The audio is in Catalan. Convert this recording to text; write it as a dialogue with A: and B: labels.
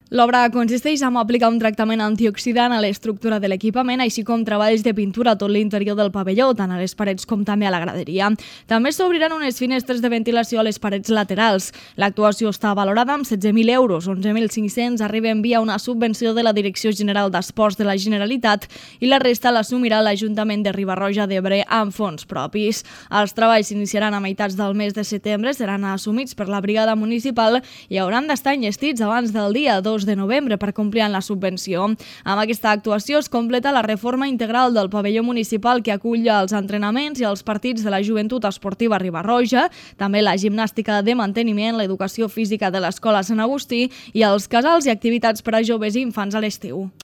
A: L'obra consisteix en aplicar un tractament antioxidant a l'estructura de l'equipament, així com treballs de pintura a tot l'interior del pavelló, tant a les parets com també a la graderia. També s'obriran unes finestres de ventilació a les parets laterals. L'actuació està valorada amb 16.000 euros, 11.500 arriben via una subvenció de la Direcció General d'Esports de la Generalitat i la resta l'assumirà l'Ajuntament de Riba-roja d'Ebre amb fons propis. Els treballs s'iniciaran a meitats del mes de setembre, seran assumits per la brigada municipal i hauran d'estar enllestits abans del dia 2 de novembre per complir amb la subvenció. Amb aquesta actuació es completa la reforma integral del pavelló municipal que acull els entrenaments i els partits de la Joventut Esportiva Riba-roja, també la gimnàstica de manteniment, l'educació física de l'Escola Sant Agustí i els casals i activitats per a joves i infants a l'estiu.